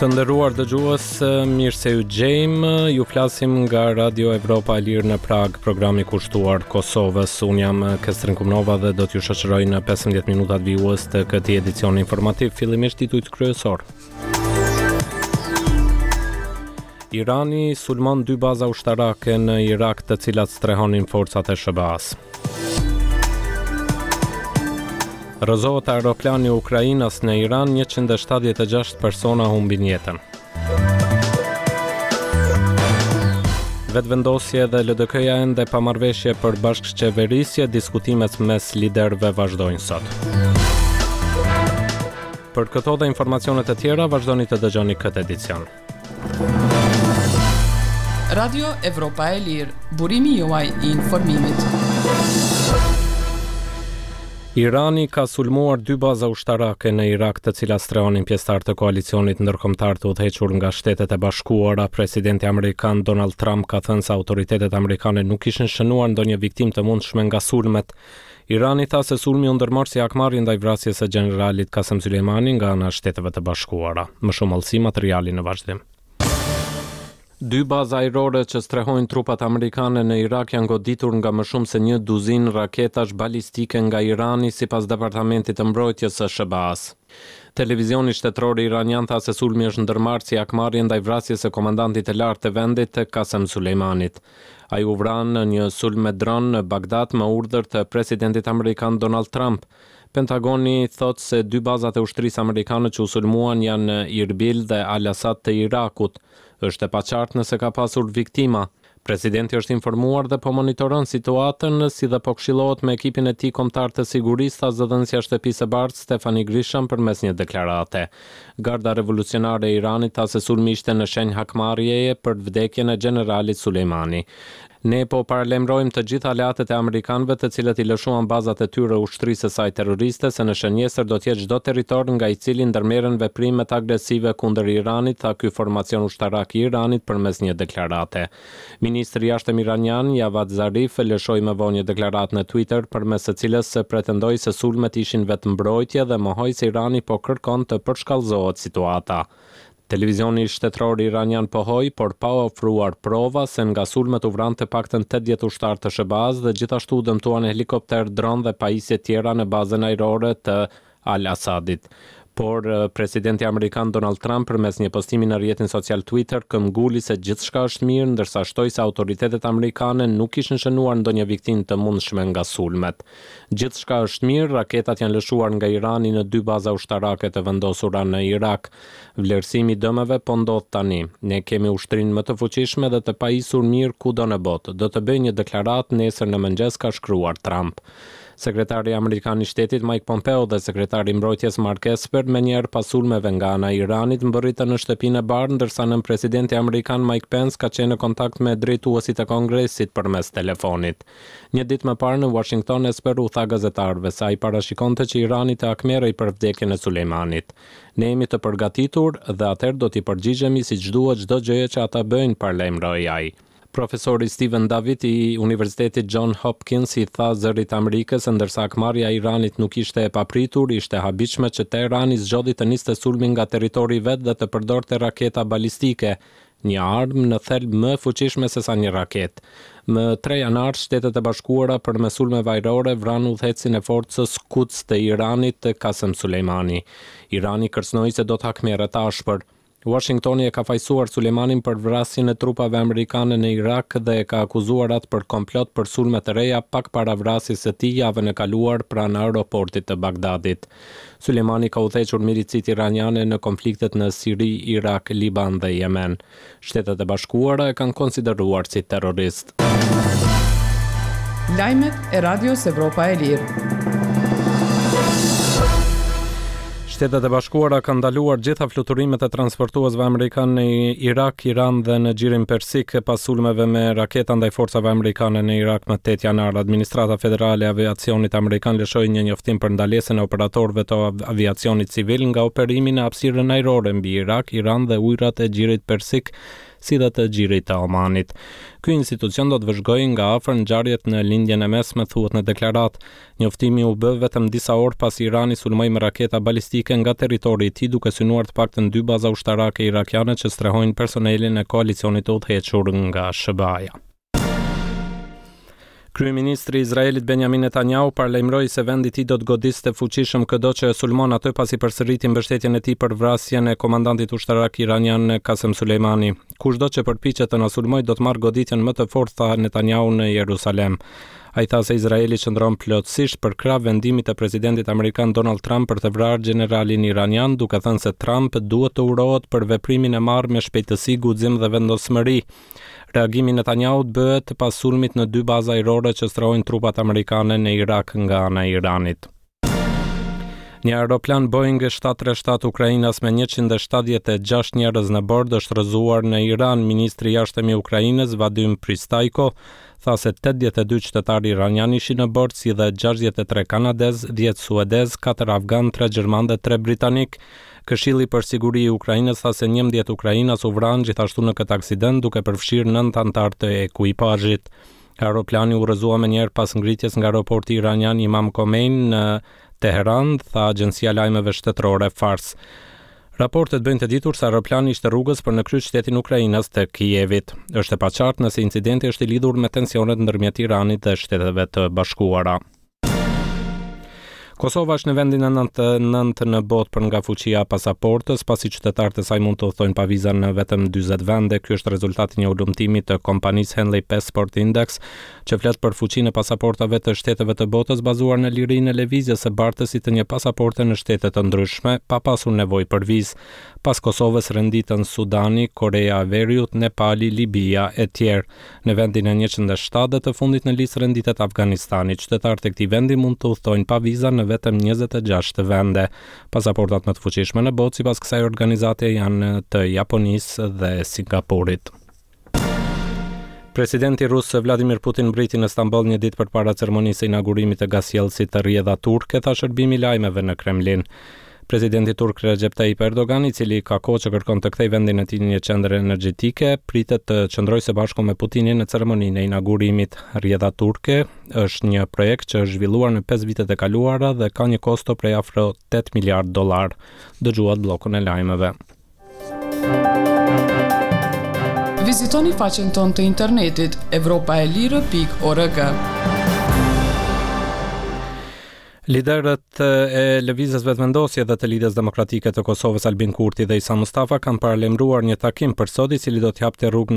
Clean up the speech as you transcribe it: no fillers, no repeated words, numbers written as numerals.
Të nderuar dëgjues, mirë se ju gjejmë. Ju flasim nga Radio Evropa e Lirë në Pragë, programi kushtuar Kosovës. Unë jam Kestrin Kumnova dhe do t'ju shoqëroj në 15 minutat vijues të këtij edicioni informativ, fillimisht titujt kryesorë. Irani sulmon dy baza ushtarake në Irak të cilat strehonin forcat e SHBA-së. Rrëzohet aeroplani ukrainas në Iran, 176 persona humbin jetën. Vetëvendosje dhe LDK-ja ende pa marrëveshje për bashkëqeverisje, diskutimet mes liderëve vazhdojnë sot. Për këto dhe informacionet e tjera, vazhdoni të dëgjoni këtë edicion. Radio Evropa e Lirë, burimi juaj i informimit. Irani ka sulmuar dy baza ushtarake në Irak të cilat strehonin pjesëtarë të koalicionit ndërkombëtar të udhëhequr nga Shtetet e Bashkuara. Presidenti amerikan Donald Trump ka thënë se autoritetet amerikane nuk kishin shënuar ndonjë viktimë të mundshme nga sulmet. Irani tha se sulmi u ndërmor si hakmarrje ndaj vrasjes së gjeneralit Kasem Soleimani nga ana e Shteteve të Bashkuara. Më shumë hollësi materiali në vazhdim. Dy baza ajrore që strehojnë trupat amerikane në Irak janë goditur nga më shumë se një duzinë raketash balistike nga Irani, sipas Departamentit të Mbrojtjes së SHBA-së. Televizioni shtetëror iranian tha se sulmi është ndërmarrë si hakmarrje ndaj vrasjes së komandantit të lartë të vendit, Kasem Soleimanit. Ai u vra në një sulm me dron në Bagdad me urdhër të presidentit amerikan Donald Trump. Pentagoni thotë se dy bazat e ushtrisë amerikane që u sulmuan janë në Irbil dhe Al-Asad të Irakut. Është e paqartë nëse ka pasur viktima. Presidenti është informuar dhe po monitoron situatën, si dhe po këshillohet me ekipin e tij kombëtar të sigurisë, tha zëdhënësja e Shtëpisë së Bardhë, Stephanie Grisham përmes një deklarate. Garda Revolucionare e Iranit tha se sulmi ishte në shenjë hakmarrjeje për vdekjen e gjeneralit Soleimani. Ne po paralajmërojmë të gjithë aleatët e amerikanëve të cilët i lëshuan bazat e tyre ushtrisë së saj terroriste se në shënjestër do të jetë çdo territor nga i cili ndërmerren veprimet agresive kundër Iranit, tha ky formacion ushtarak i Iranit përmes një deklarate. Ministri i Jashtëm iranian, Javad Zarif, lëshoi më vonë një deklaratë në Twitter, përmes së cilës pretendoi se sulmet ishin vetëmbrojtje dhe mohoi se Irani po kërkon të përshkallëzohet situata. Televizioni shtetëror iranian pohoi, por pa ofruar prova, se nga sulmet u vranë të paktën 80 ushtarë të SHBA-së dhe gjithashtu u dëmtuan helikopterë, dronë dhe pajisje tjera në bazën ajrore të Al-Assadit. Por, presidenti amerikan Donald Trump përmes një postimi në rrjetin social Twitter këmbguli se gjithçka është mirë, ndërsa shtoi se autoritetet amerikane nuk kishin shënuar ndonjë viktimë të mundshme nga sulmet. Gjithçka është mirë, raketat janë lëshuar nga Irani në dy baza ushtarake të vendosura në Irak. Vlerësimi i dëmeve po ndodh tani. Ne kemi ushtrinë më të fuqishme dhe të pajisur mirë kudo në botë. Do të bëj një deklaratë nesër në mëngjes, ka shkruar Trump. Sekretari amerikan i Shtetit Mike Pompeo dhe sekretari i Mbrojtjes Mark Esper menjëherë pas sulmeve nga ana e Iranit mbërritën në Shtëpinë e Bardhë ndërsa nënpresidenti amerikan Mike Pence ka qenë në kontakt me drejtuesit e Kongresit përmes telefonit. Një ditë më parë në Uashington Esper u tha gazetarëve se ai parashikonte që Irani të hakmerrej për vdekjen e Sulejmanit. Ne jemi të përgatitur dhe atëherë do t'i përgjigjemi siç duhet çdo gjëje që ata bëjnë, paralajmëroi ai. Profesori Steven David i Universitetit John Hopkins i tha Zërit të Amerikës se ndërsa hakmarrja e Iranit nuk ishte e papritur, ishte e habitshme që Teherani zgjodhi të niste sulmin nga territori i vet dhe të përdorte raketa balistike, një armë në thelb më e fuqishme sesa një raketë. Më tre janar, Shtetet e Bashkuara përmes sulmeve ajrore vranë udhëheqësin e forcës Quds të Iranit, Qasem Soleimani. Irani kërcënoi se do të hakmerret ashpër. Uashingtoni e ka fajësuar Sulejmanin për vrasjen e trupave amerikane në Irak dhe e ka akuzuar atë për komplot për sulme të reja pak para vrasjes së tij javën e kaluar pranë aeroportit të Bagdadit. Sulejmani ka udhëhequr milicitë iraniane në konfliktet në Siri, Irak, Liban dhe Jemen. Shtetet e Bashkuara e kanë konsideruar si terrorist. Lajmet e Radios Evropa e Lirë. Shtetet e Bashkuara kanë ndaluar gjitha fluturimet e transportuesve amerikanë në Irak, Iran dhe në Gjirin Persik pas sulmeve me raketa ndaj forcave amerikane në Irak më 8 janar. Administrata Federale e Aviacionit Amerikan lëshoi një njoftim për ndalesën e operatorëve të aviacionit civil nga operimi në hapësirën ajrore mbi Irak, Iran dhe ujërat e Gjirit Persik. si dhe të Gjirit të Omanit. Ky institucion do të vëzhgojë nga afër ngjarjet në Lindjen e Mesme, thuhet në deklaratë. Njoftimi u bë vetëm disa orë pasi Irani sulmoi me raketa balistike nga territori i tij duke synuar të paktën dy baza ushtarake irakiane që strehojnë personelin e koalicionit të udhëhequr nga SHBA-ja. Kryeministri i Izraelit Benjamin Netanyahu paralajmëroi se vendi i tij do të godiste fuqishëm këdo që e sulmon atë pasi përsëriti mbështetjen e tij për vrasjen e komandantit ushtarak iranian Qasem Soleimani. Kushdo që përpiqet të na sulmojë do të marrë goditjen më të fortë, tha Netanyahu në Jerusalem. Ai tha se Izraeli qëndron plotësisht përkrah vendimit të presidentit amerikan Donald Trump për të vrarë gjeneralin iranian, duke thënë se Trump duhet të urohet për veprimin e marrë me shpejtësi, guxim dhe vendosmëri. Reagimi i Netanyahut bëhet pas sulmit në dy baza ajrore që strehojnë trupat amerikane në Irak nga ana e Iranit. Një aeroplan Boeing 737 ukrainas me 176 njerëz në bord është rrëzuar në Iran. Ministri i Jashtëm i Ukrainës, Vadim Pristajko, tha se 82 qytetarë iranianë ishin në bord, si dhe 63 kanadezë, 10 suedezë, 4 afganë, 3 gjermanë dhe 3 britanikë. Këshilli për Siguri i Ukrainës tha se 11 ukrainas u vranë gjithashtu në këtë aksident, duke përfshirë nëntë anëtarë të ekuipazhit. Aeroplani u rrëzua menjëherë pas ngritjes nga aeroporti iranian Imam Khomeini në Teheran, tha agjencia e lajmeve shtetërore Fars. Raportet bëjnë të ditur se aeroplani ishte rrugës për në kryeqytetin ukrainas të Kievit. Është e paqartë nëse incidenti është i lidhur me tensionet ndërmjet Iranit dhe Shteteve të Bashkuara. Kosova është në vendin e 99 në botë për nga fuqia e pasaportës, pasi qytetarët e saj mund të udhëtojnë pa viza në vetëm 40 vende. Ky është rezultati i një hulumtimi të kompanisë Henley Passport Index, që flet për fuqinë e pasaportave të shteteve të botës bazuar në lirinë e lëvizjes së bartësit të një pasaporte në shtete të ndryshme, pa pasur nevojë për vizë. Pas Kosovës renditen Sudani, Koreja e Veriut, Nepali, Libia etj. Në vendin e 107 dhe të fundit në listë renditet Afganistani. Qytetarët e këtij vendi mund të udhëtojnë pa viza në vetëm 26 vende. Pasaportat më të fuqishme në botë sipas kësaj organizate janë të Japonisë dhe Singaporit. Presidenti rus Vladimir Putin mbriti në Stamboll një ditë përpara ceremonisë së inaugurimit të gazsjellësit Rrjedha Turke, tha shërbimi i lajmeve në Kremlin. Presidenti turk Recep Tayyip Erdogan, i cili ka kohë që kërkon të kthejë vendin e tij në një qendër energjetike, pritet të qëndrojë së bashku me Putinin në ceremoninë e inaugurimit. Rrjedha turke është një projekt që është zhvilluar në 5 vitet e kaluara dhe ka një kosto prej afro 8 miliardë dollarë. Dëgjuat bllokun e lajmeve. Vizitoni faqen tonë të internetit evropaelire.org. Liderët e Lëvizjes Vetëvendosje dhe të Lidhjes Demokratike të Kosovës Albin Kurti dhe Isa Mustafa kanë paralajmëruar një takim për sot i cili do të hapte rrugë.